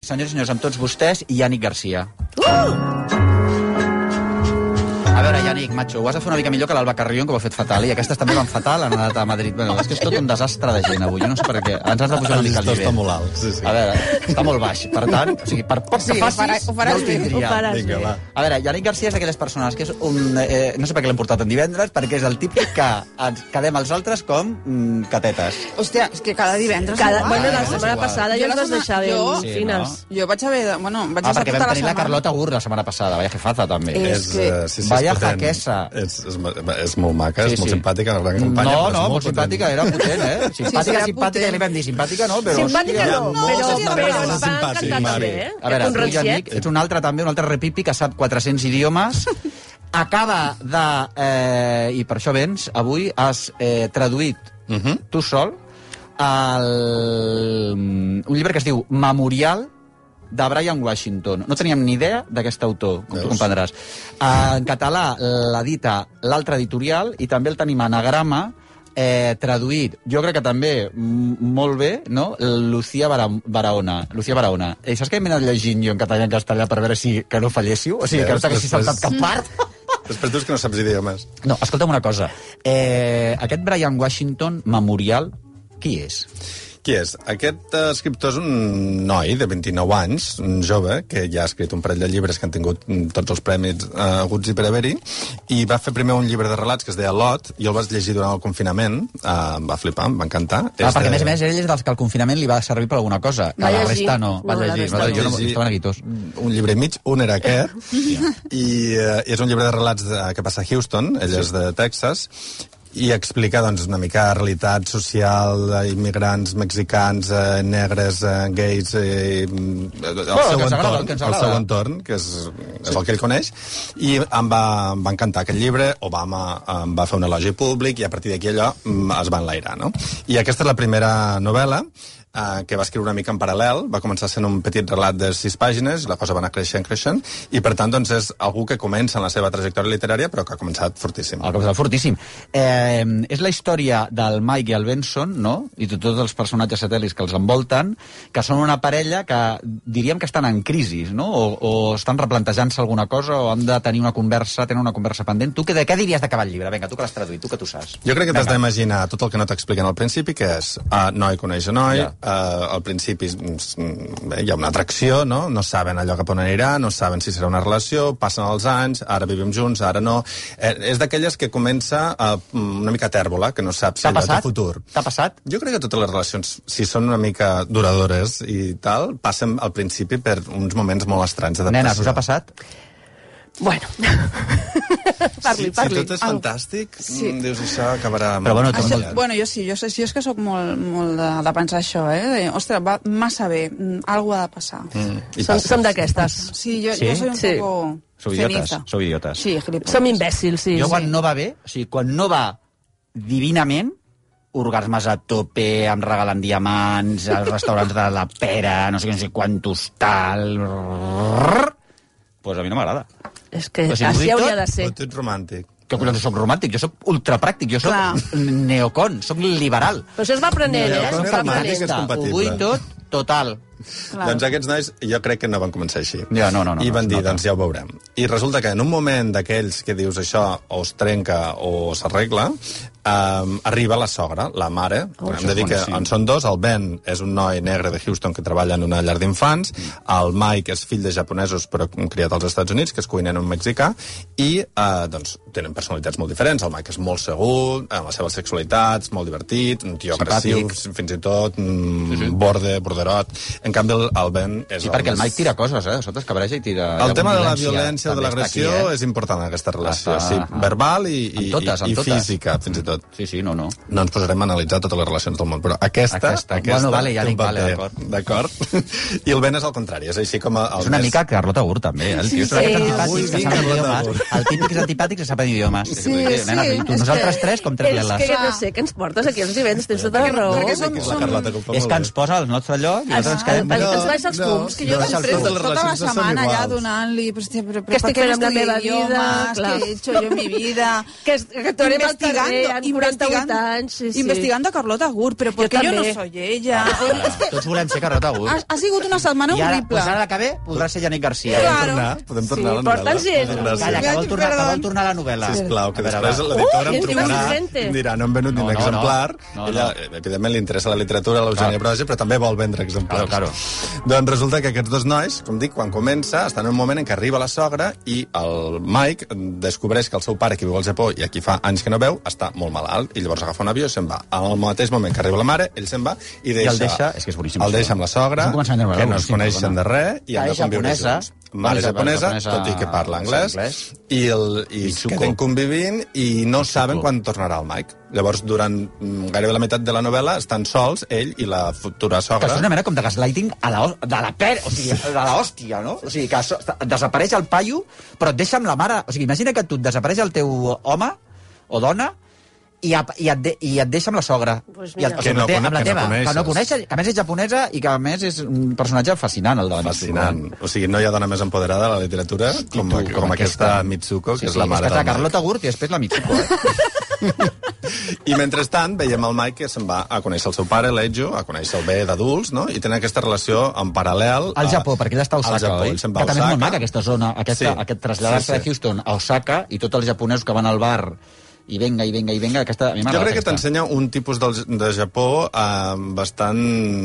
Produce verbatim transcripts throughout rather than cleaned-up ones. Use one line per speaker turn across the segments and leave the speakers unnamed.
Senyors i senyors, amb tots vostès i Yannick Garcia. Uh! A veure, Yannick, macho, ho has de fer una mica millor que l'Alba Carrión, que ho ha fet fatal, i aquestes també van fatal, han anat a Madrid. Bueno, és que és tot un desastre de gent avui, jo no sé per què. Ens has de pujar una mica al nivell.
Està molt alt, sí, sí.
A veure, està molt baix, per tant, o sigui, per poc que facis,
ho faràs
no ho
bé,
tindria.
ho faràs
Vinga,
bé.
va.
A veure, Yannick Garcia és d'aquelles persones que és un... Eh, no sé per què l'hem portat en divendres, perquè és el típic que ens quedem els altres com mm, catetes.
Hòstia, és que cada divendres...
Cada,
igual.
bueno, la
és
setmana
igual.
passada ja
Jo
ens
la
vas deixar ben
setmana-
jo-
fines.
Sí,
Jo vaig haver de... Bueno, vaig
Ah,
estar
perquè
tota
vam
la
tenir la
setmana.
Carlota Gur la setmana passada, vaya jefaza, també.
Eh,
És,
que-
eh, sí, sí,
Vaya
és potent.
jaquesa.
És, és, és molt maca,
Sí,
és molt
sí.
simpàtica, una gran campanya.
No,
però és
no, molt
potent.
simpàtica, era potent, eh? Simpàtica,
sí, era
simpàtica,
potent.
ja li vam dir simpàtica, no? Però,
Simpàtica
hòstia,
no,
moltes
però,
maneres
però
de
ens va
simpàtic,
encantar
Mari.
també, eh?
A veure,
Un
tu,
ranciet.
Yannick, ets un altre també, un altre repipi que sap quatre-cents idiomes, acaba de... Eh, I per això vens, avui has eh, traduït
Uh -huh.
tu sol el, un llibre que es diu Memorial de Brian Washington. No teníem ni idea d'aquest autor, com tu
Veus?
comprendràs. En català l'edita l'altre editorial i també el tenim anagrama eh, traduït, jo crec que també m- molt bé, no? Lucía Bara- Barahona. Lucía Barahona. I saps què m'he anat llegint jo en català i en castellà per veure si que no falléssiu? O sigui, que no
Veus?
t'haguessis
Després-
saltat cap part?
Després dius que no saps idiomes.
No, escolta'm una cosa. Eh, aquest Brian Washington Memorial, qui és?
Qui és? Aquest eh, escriptor és un noi de vint-i-nou anys, un jove, que ja ha escrit un parell de llibres que han tingut mm, tots els premis eh, haguts i per haver-hi, i va fer primer un llibre de relats que es deia Lot, i el vas llegir durant el confinament, eh, em va flipar, em va encantar.
Ah,
És
perquè,
de-
a més a més, ell és dels que el confinament li va servir per alguna cosa, que
Va
la
llegir.
resta no. Va
No, la
llegir,
resta
va,
no.
jo no,
llegir
estaven guitós.
un llibre i mig, un era aquest, i eh, és un llibre de relats de, que passa a Houston, ell és de Texas, i explica doncs, una mica la realitat social d'immigrants mexicans, eh, negres, eh, gais, eh, el,
Bueno,
seu
que ens agrada,
entorn,
que ens
el
agrada.
seu entorn, que és, és el que ell coneix, i em va, em va encantar aquest llibre, Obama em va fer un elogi públic, i a partir d'aquí allò mm, es va enlairar, no? I aquesta és la primera novel·la, Uh, que va escriure una mica en paral·lel, va començar sent un petit relat de sis pàgines, la cosa va anar creixent, creixent, i per tant doncs, és algú que comença en la seva trajectòria literària, però que ha començat fortíssim.
El cop fortíssim. Eh, és la història del Mike i el Benson, no? I de tots els personatges satèl·lits que els envolten, que són una parella que diríem que estan en crisi, no? O, o estan replantejant-se alguna cosa, o han de tenir una conversa, tenen una conversa pendent. Tu, que, de què diries d'acabar el llibre? Vinga, tu que l'has traduït, tu que tu saps.
Jo crec que t'has
Vinga.
d'imaginar tot el que no t'expliquen al principi, que és uh, noi coneix a noi,
Ja.
uh, al principi mm, bé, hi ha una atracció, no? No saben allò cap on anirà, no saben si serà una relació, passen els anys, ara vivim junts, ara no. Eh, és d'aquelles que comença uh, una mica tèrbola, que no sap si
T'ha
allò té
passat?
futur.
T'ha passat?
Jo crec que totes les relacions, si són una mica duradores i tal, passen al principi per uns moments molt estranys d'adaptació.
Nenes, us ha passat?
Bueno. parli,
si,
parli.
Si tot és fantàstic,
Sí.
mm, dius això acabarà...
Però bueno,
Això,
Molt-
bueno, jo sí, jo, sé, jo és que sóc molt, molt de, de pensar això, eh? De, ostres, va massa bé, mm, algo ha de passar.
Mm, i
Som,
passa.
som d'aquestes.
Sí, jo,
Sí?
jo soy un
Sí.
poco
Sou idiotes,
ceniza.
sou idiotes.
Sí, gilipollas.
Som imbècils, sí.
Jo
sí.
quan no va bé, o sigui, quan no va divinament, orgasmes a tope, em regalen diamants, als restaurants de la pera, no sé què, no sé quantos tal... Doncs pues a mi no m'agrada.
És que
O sigui,
així
ho dic
hauria
tot,
de ser.
Però tu ets romàntic.
Que collons, soc romàntic, jo soc ultrapràctic, jo soc
Clar.
neocon, soc liberal.
Però això es va aprenent, eh?
Neocon
Això es va
romàntic
aprenent.
és compatible.
Ho vull tot, total.
Clar.
Doncs aquests nois jo crec que no van començar així.
Ja, no, no, no,
I van
no,
dir,
no, no.
doncs ja ho veurem. I resulta que en un moment d'aquells que dius això o es trenca o s'arregla, um, arriba la sogra, la mare.
Oh,
Hem
això
de
és
dir que
boníssim.
en són dos. El Ben és un noi negre de Houston que treballa en una llar d'infants. El Mike és fill de japonesos però criat als Estats Units, que és cuiner en un mexicà. I uh, doncs tenen personalitats molt diferents. El Mike és molt segur, en la seva sexualitat, és molt divertit, un tio agressiu,
Simpàtic.
fins i tot, mm, sí, sí. borde, borderot. En canvi, el, el Ben és...
Sí, perquè el
més-
Mike tira coses, eh? Sota es cabreja i tira...
el
hi ha
tema de la violència o de
també està
l'agressió
aquí, eh?
és important en aquesta relació,
Està-
sí, verbal i, i,
Amb totes, amb
i, i
totes.
física, fins i tot.
Sí, sí, no, no.
No ens posarem a analitzar totes les relacions del món, però aquesta...
Aquesta. Bueno, vale, ja
té un
dic, vale,
paper,
d'acord.
D'acord? I el Ben és al contrari, és així com el
És una
més...
mica Carlota Gur, també, eh? El tio és
sí,
d'aquests
sí.
antipàtics
Ui,
que saben
Carlota
idiomes.
Gur.
El típic és antipàtic que saben idiomes.
Sí,
Nena,
sí,
tu,
és
nosaltres
que-
tres com tres
És
leles.
que no sé què ens portes aquí els divendres, tens tota la raó.
perquè
Que
som-
és la Carlota, que ho fa
És
molt
que
bé.
ens posa al nostre lloc i nosaltres ens
Ah,
eh?
Que ens baixa els fums, que jo
no,
Després,
totes les
tota la
relacions no són
setmana allà
iguals.
donant-li... Però, hòstia, però,
Què
però,
estic
per què
fent amb la
no
meva
estudio
vida?
idiomes?
Clar.
Què he hecho jo en mi vida?
Que, es- que tornem al
Investigando,
carrer amb quaranta-vuit anys. Sí, sí.
investigando a Carlota Gur, però perquè jo,
també.
no soy ella. És que
Tots volem ser Carlota Gur.
ha, ha sigut una setmana
I ara,
horrible.
pues ara que ve, podrà ser Yannick Garcia.
Claro.
Tornar? Podem tornar
Sí,
a la novel·la?
porta'ns gent.
Gràcies.
Calla, que vol tornar, que
Perdó.
vol tornar a la novel·la.
Sisplau, que
A veure,
després
va.
l'editora
Uh,
em
que
trucarà
insistente.
i em dirà, no hem venut ni
No,
un
no,
exemplar.
no. No,
Ella, evidentment, li interessa la literatura, l'Eugènia
Clar.
Broja, però també vol vendre exemplars.
Claro,
Doncs resulta que aquests dos nois, com dic, quan comença, estan en un moment en què arriba la sogra i el Mike descobreix que el seu pare, que viu al Japó i aquí fa anys que no veu, està molt malalt, i llavors agafa un avió i se'n va. Al mateix moment que arriba la mare, ell se'n va i deixa...
el deixa- és que és boníssim,
El
això.
deixa amb la sogra,
És un començament de novel·la
que no es
boníssim,
coneixen
perdona.
de res, i han
Mare
de conviure
japonesa,
junts. Mare japonesa,
japonesa,
tot i que parla anglès,
anglès.
i, el, i es
Mitsuko.
queden convivint i no saben quan tornarà el Mike. Llavors, durant mm, gairebé la meitat de la novel·la, estan sols, ell i la futura
Que
sogra.
és una mena com de gaslighting a la, de la per, o sigui, de la hòstia, no? O sigui, que so, desapareix el paio, però et deixa amb la mare... O sigui, imagina que tu et desapareix el teu home o dona i, a, i, et, de, i et deixa amb la sogra.
Pues
I el,
mira.
o sigui,
Que no
té- amb la
cone- que no
teva,
coneixes.
que no coneixes, que a més és japonesa i que a més és un personatge fascinant, el de la
Fascinant.
Mitsuko.
O sigui, no hi ha dona més empoderada de la literatura com,
tu,
com,
com
aquesta
aquesta.
Mitsuko, que
Sí,
és
sí,
la mare
és que
del
està
Mike.
Carlota Gurt i després la Mitsuko, eh?
I mentrestant veiem el Mike que se'n va a conèixer el seu pare, l'Ejo, a conèixer el bé d'adults, no? I tenen aquesta relació en paral·lel...
Al
a-
Japó, perquè ell està a
al
Osaka,
Japó,
oi?
ell se'n
Que
va a
també és molt
Osaka.
maca, aquesta zona, aquesta,
Sí.
aquest traslladar-se
Sí, sí.
de Houston a Osaka i tots els japonesos que van al bar i venga, i venga, i venga, aquesta... A mi
Jo
m'agrada
crec que
aquesta.
t'ensenya un tipus del, de Japó eh, bastant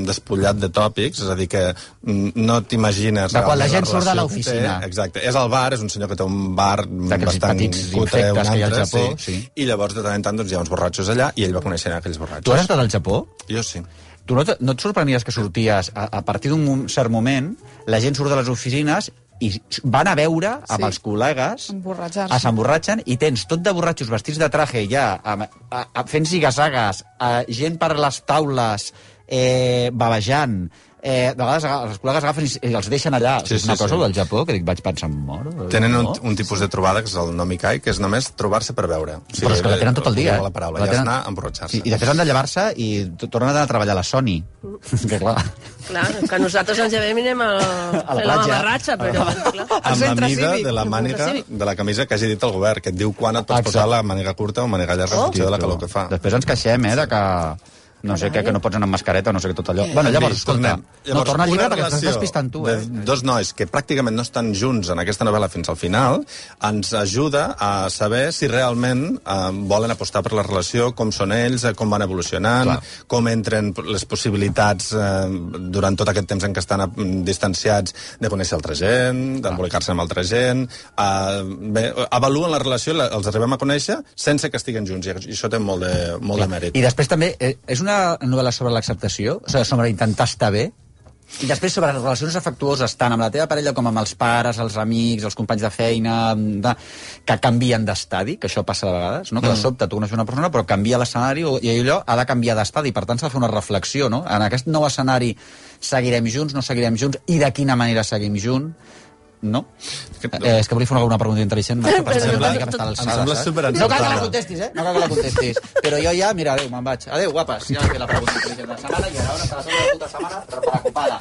despullat de tòpics, és a dir, que mm, no t'imagines...
De quan la
realment
gent surt de
relació
l'oficina.
que té. Exacte. És al bar, és un senyor que té un bar
D'aquells
bastant
petits
cutre, un
infectes que hi ha al
altre,
Japó,
sí.
sí.
I llavors de tant en tant doncs, hi ha uns borratxos allà i ell va conèixer aquells borratxos.
Tu has estat al Japó?
Jo sí.
Tu no, te- no et sorprenies que sorties, a, a partir d'un mo- cert moment, la gent surt de les oficines i van a veure amb
Sí.
els col·legues,
Emborratxar-se.
a s'emborratxen, i tens tot de borratxos vestits de traje ja, a, a, a, fent zigazagues, a, gent per les taules, eh, babejant, eh, de vegades aga- els col·legues agafen i, i els deixen allà.
Sí,
és una
sí,
cosa
sí.
del Japó que dic, vaig pensar, moro.
Tenen un,
no?
un tipus de trobada que és el nomikai, que és només trobar-se per veure. O
Però és que la tenen tot el dia.
La paraula,
La
ja
tenen-
és anar a emborratxar-se.
Sí, i després han de llevar-se i t- tornen a treballar a la Sony. que clar...
Clar, que nosaltres ens llevem i anem a,
A la
fer la
platja.
mamarratxa, però... Clar.
Amb la
centre
mida
cívic.
de la
Al
màniga
centre cívic.
de la camisa que hagi dit el govern, que et diu quan et pots
Exacte.
posar la màniga curta o màniga llarga en funció de la calor que fa.
Després ens queixem, eh, de que... No sé, que, que no pots anar amb mascareta o no sé què, tot allò. Bueno, llavors,
Sí,
escolta,
tornem.
no, torna al llibre
una
perquè estàs
relació
despistant tu, eh?
de dos nois que pràcticament no estan junts en aquesta novel·la fins al final ens ajuda a saber si realment eh, volen apostar per la relació, com són ells, eh, com van evolucionant,
Clar.
com entren les possibilitats eh, durant tot aquest temps en què estan eh, distanciats de conèixer altra gent, d'embolicar-se amb altra gent... Eh, bé, avaluen la relació, la, els arribem a conèixer sense que estiguen junts, i això té molt de, molt de mèrit.
I després també, eh, és una novel·la sobre l'acceptació, o sigui, sobre intentar estar bé, i després sobre les relacions afectuoses, tant amb la teva parella com amb els pares, els amics, els companys de feina, de, que canvien d'estadi, que això passa de vegades, no? que de sobte tu coneixes una persona però canvia l'escenari i allò ha de canviar d'estadi, per tant s'ha de fer una reflexió, no? En aquest nou escenari seguirem junts, no seguirem junts, i de quina manera seguim junts, no? Eh, és que volia fer alguna pregunta intel·ligent, macho, per
Però
saber
em
una
sembla-
mica que està a
em
l'alçada,
sembla
saps?
superencertada.
No cal que la contestis, eh? No cal que la contestis. Però jo ja, mira, adéu, me'n vaig. Adéu, guapes. Ja he fet la pregunta intel·ligent de la setmana i ara hasta la segona puta setmana preocupada.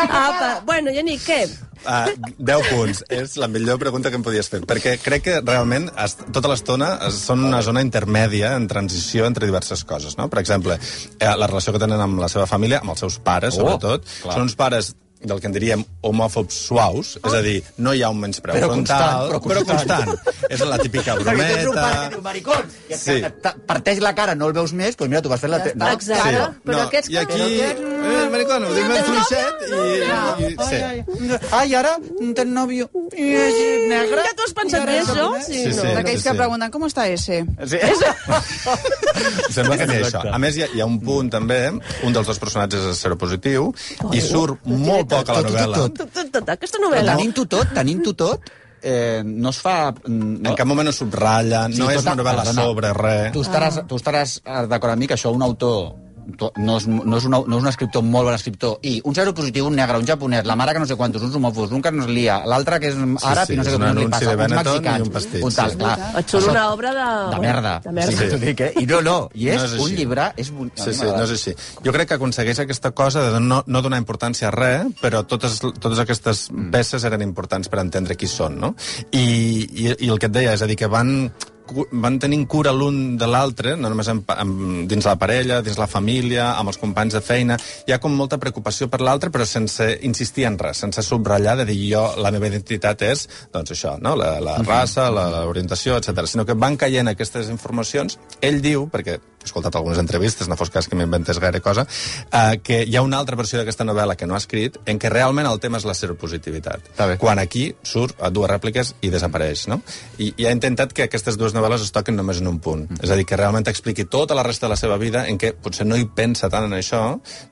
Apa, bueno, Yannick, què?
Uh, deu punts. És la millor pregunta que em podies fer, perquè crec que realment es, tota l'estona es- són una zona intermèdia en transició entre diverses coses, no? Per exemple, eh, la relació que tenen amb la seva família, amb els seus pares,
Oh,
sobretot,
clar.
són uns pares del que en diríem homòfobs suaus, és a dir, no hi ha un menyspreu
Però
frontal,
constant, però
però
constant.
constant. És la típica
Perquè tens un pare que
brometa...
diu maricón, i et,
Sí.
et, et parteix la cara, no el veus més, doncs mira, tu vas fer la... te- No?
Exacte. Ara, però aquests
I aquí,
que-
eh, maricón, ho dic ben fluixet i... i sí.
Ai, ara ten novio i és negre.
Ja t'ho has pensat bé, això?
Sí,
no.
sí.
D'aquells que pregunten, com està ese?
Sí.
Sembla que n'hi ha això. A més, hi ha, hi ha un punt, també, un dels dos personatges és seropositiu, i surt molt poc a la
Tot, tot,
novel·la.
tot.
Tot, tot, tot, aquesta novel·la.
Tenint-ho tot, tenint-ho tot, eh, no es fa... No?
En cap moment no subratlla, no és
tota-
una novel·la
perdona,
sobre res.
Tu estaràs, tu estaràs eh, d'acord amb mi que això un autor no és, no, és una, no és un escriptor molt bon escriptor, i un seropositiu, un negre, un japonès, la mare que no sé quantos, uns homòfobs, un que no es lia, l'altre que és àrab
sí,
i no sé
és
què
un
li
anunci
passa,
de
uns
Benetton
mexicans,
i un pastis,
un tal,
sí.
clar.
Et surt una obra de...
De merda.
De merda.
Sí, sí. Dic, eh? I no, no, i és,
No és
un
així.
llibre... És un...
Sí, sí, no és així. Jo crec que aconsegueix aquesta cosa de no, no donar importància a res, però totes, totes aquestes peces eren importants per entendre qui són, no? I, i, i el que et deia, és a dir, que van... van tenint cura l'un de l'altre, no només en, en, dins la parella, dins la família, amb els companys de feina. Hi ha com molta preocupació per l'altre, però sense insistir en res, sense subratllar de dir jo, la meva identitat és, doncs això, no? la, la raça, l'orientació, etcètera. Sinó que van caient aquestes informacions. Ell diu, perquè he escoltat algunes entrevistes, no fos cas que m'inventés gaire cosa, eh, que hi ha una altra versió d'aquesta novel·la que no ha escrit, en què realment el tema és la seropositivitat. Quan aquí surt a dues rèpliques i desapareix, no? I, i ha intentat que aquestes dues novel·les es toquen només en un punt. Mm. És a dir, que realment expliqui tota la resta de la seva vida en què potser no hi pensa tant en això,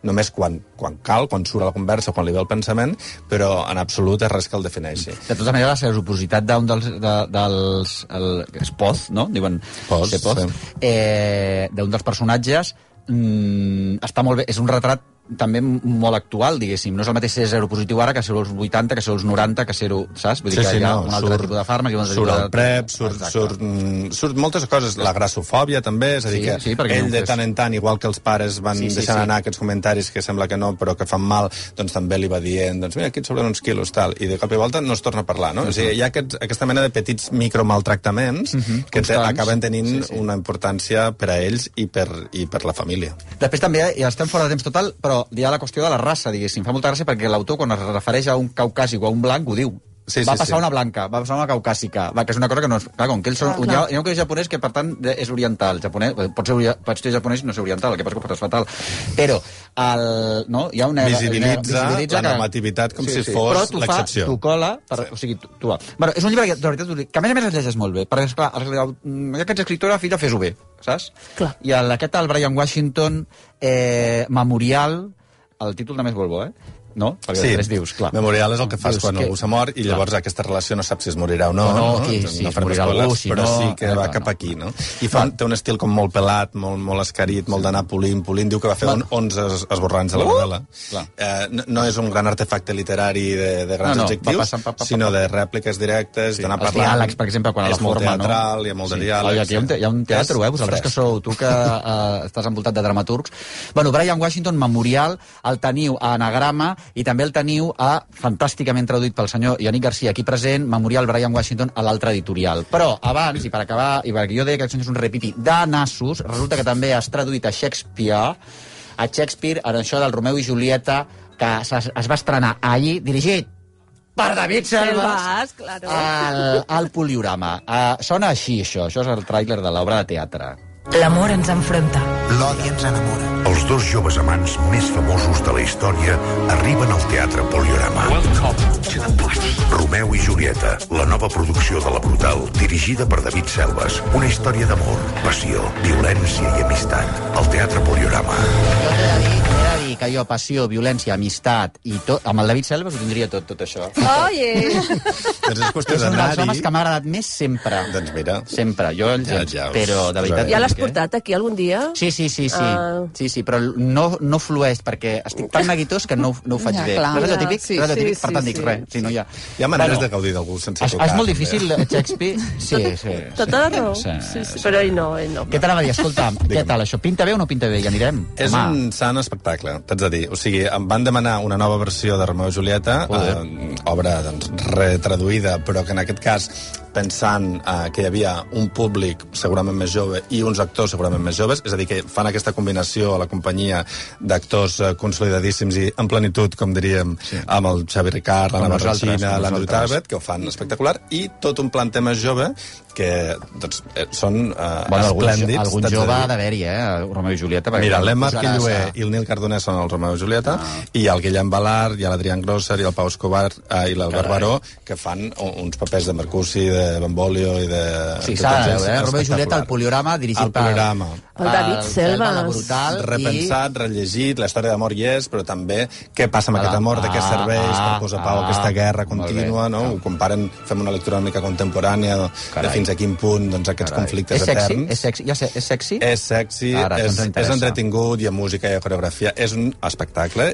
només quan, quan cal, quan surt a la conversa, quan li ve el pensament, però en absolut és res que el defineixi.
De tota manera, la seropositat d'un dels... De, dels el, és Poz, no? Diuen...
Poz,
sí. Poz. Eh, d'un dels personatges mmm, està molt bé, és un retrat també molt actual, diguéssim. No és el mateix ser seropositiu ara que ser als vuitanta, que ser als noranta, que ser-ho, saps? Vull dir
sí,
que
sí,
hi ha
no,
un altre
surt,
tipus de fàrmac i un altre
surt
tipus
el
de...
prep, surt, surt, mm, surt moltes coses, la grassofòbia també, és a dir
Sí,
que
sí, perquè
ell
no
de
fes-
tant en tant, igual que els pares van
Sí, sí,
deixant
sí.
anar aquests comentaris que sembla que no, però que fan mal, doncs també li va dient, doncs mira, aquí et sobren uns quilos, tal, i de cop i volta no es torna a parlar, no? Uh -huh. O sigui, hi ha aquests, aquesta mena de petits micromaltractaments uh -huh. que te,
Constants.
acaben tenint
Sí,
sí,
sí.
sí. una importància per a ells i per, i per la família.
Després també, ja estem fora de temps total, però hi ha la qüestió de la raça, diguéssim. Fa molta gràcia perquè l'autor, quan es refereix a un caucàsic o a un blanc, ho diu.
Sí,
va
sí,
passar
sí.
una blanca, va passar una caucàsica, va, que és una cosa que no és... Clar, com que ells són...
Ah,
hi,
clar.
ha, hi ha un que és japonès que, per tant, és oriental. Japonès, pot ser, ori- pot ser japonès i no ser oriental, el que passa que ho fas fatal. Però, el, no, hi ha una...
Visibilitza la normativitat com si fos
Però t'ho fa,
l'excepció.
t'ho cola, per, sí. o sigui, tu, tu va. Bueno, és un llibre que, de veritat, que a més a més es llegeix molt bé, perquè, esclar, ja que ets escriptora, filla, fes-ho bé, saps?
Clar.
I el, aquest, el Brian Washington, eh, Memorial, el títol també és molt bo, eh? No? Perquè
Sí,
després dius, clar.
memorial és el que fas
Dius
quan
que-
algú s'ha mort i
clar.
llavors aquesta relació no saps si es morirà o no.
O no,
no?
qui-
Doncs
si
no
es
farem
morirà
spoilers,
algú, si
però
no,
sí que
eh,
va
no.
cap aquí, no? I fa, té un estil com molt pelat, molt, molt escarit, molt d'anar polint, polint. Diu que va fer
Va.
onze es- esborranys de la
Uh!
novel·la.
Clar.
Eh, no, no és un gran artefacte literari de, de grans
No, no, va
adjectius,
passant, pa, pa, pa,
sinó
pa.
de rèpliques directes,
Sí,
d'anar
els
parlant.
diàlegs, per exemple, quan a la
és molt
forma, no?
teatral, hi ha molt de
Sí.
diàlegs.
Oi, aquí hi ha un, te hi ha un teatre,
És
eh? Vosaltres que
fresc.
sou, tu que eh, estàs envoltat de dramaturgs. Bueno, Brian Washington, Memorial, el teniu a Anagrama i també el teniu a, fantàsticament traduït pel senyor Yannick Garcia, aquí present, Memorial Brian Washington a l'altre editorial. Però abans, i per acabar, i perquè jo deia que això és un repipi de nassos, resulta que també has traduït a Shakespeare, a Shakespeare, en això del Romeu i Julieta, que es, es va estrenar ahir, dirigit per David Selves,
Selves, claro.
al, al Poliorama. Uh, sona així, això. Això és el tràiler de l'obra de teatre.
L'amor ens enfronta.
L'odi ens enamora.
Els dos joves amants més famosos de la història arriben al Teatre Poliorama. Romeu i Julieta, la nova producció de La Brutal, dirigida per David Selves. Una història d'amor, passió, violència i amistat. Al Teatre Poliorama.
Jo t'he de dir, t'he de dir que jo, passió, violència, amistat i tot, amb el David Selves ho tindria tot, tot això.
Oye!
Doncs és qüestió
És un dels homes
d'anar-hi.
que m'ha agradat més sempre.
Doncs mira.
Sempre. Jo, el
Ja,
gens,
ja us
però de veritat...
posaré.
Ja l'has
dic, eh?
portat aquí algun dia?
Sí, sí, sí, sí.
Ah.
Sí, sí, però no, no flueix, perquè estic tan neguitós que no, no ho faig
Ja,
bé.
clar.
No és allò
Ja,
típic?
sí,
és allò
sí,
típic, per
sí,
tant dic
sí.
res. Si no, ja...
Hi ha maneres
Bueno,
de gaudir d'algú sense
És,
tocar.
és molt
també.
difícil, eh, Shakespeare. Sí, sí.
Tota la raó.
Sí,
Sí, sí,
sí.
però ell no, ell no.
Què t'anava a dir? Escolta'm, què tal això? Pinta bé o no pinta bé? Ja anirem?
És
Home.
un sant espectacle, t'haig de dir. O sigui, em van demanar una nova versió de Romeu i Julieta, eh, obra doncs, retraduïda, però que en aquest cas pensant eh, que hi havia un públic segurament més jove i uns actors segurament més joves, és a dir, que fan aquesta combinació a la companyia d'actors eh, consolidadíssims i en plenitud, com diríem, sí. amb el Xavi Ricard, l'Anna
Com nosaltres,
Barrachina,
com
l'Andrew
nosaltres.
Tarbet, que ho fan espectacular, i tot un planter més jove que doncs, eh, són eh,
Bueno, algun,
esplèndids.
algun
t'haig de
jove
dir.
ha d'haver-hi, eh? El Romeu i Julieta. perquè
Mira,
quan
l'Emma
posaràs
Arquilloé
a-
i el Nil Cardonès són el Romeu i Julieta, ah. i el Guillem Balart, i l'Adrián Grosser, i el Pau Escobar, eh, i l'Albert Baró, que fan un- uns papers de Mercussi, de Benvolio i de...
Sí,
de
s'ha de
tots ells
veure, eh? Romeu i Julieta,
espectacular.
el Poliorama, dirigit
El Poliorama.
El David Selva.
La Brutal.
Repensat, i... rellegit, la història d'amor hi és, però també què passa amb ah, aquest amor, ah, de què serveix ah, per posar pau a ah, aquesta guerra contínua, no? Ho comparen, fem una lectura una mica contemporània de, de fins a quin punt doncs, aquests Carai. conflictes
és sexy?
eterns.
És sexy? Ja sé, és sexy?
És sexy, Ara, és, és entretingut, hi ha música, hi ha coreografia, és un espectacle.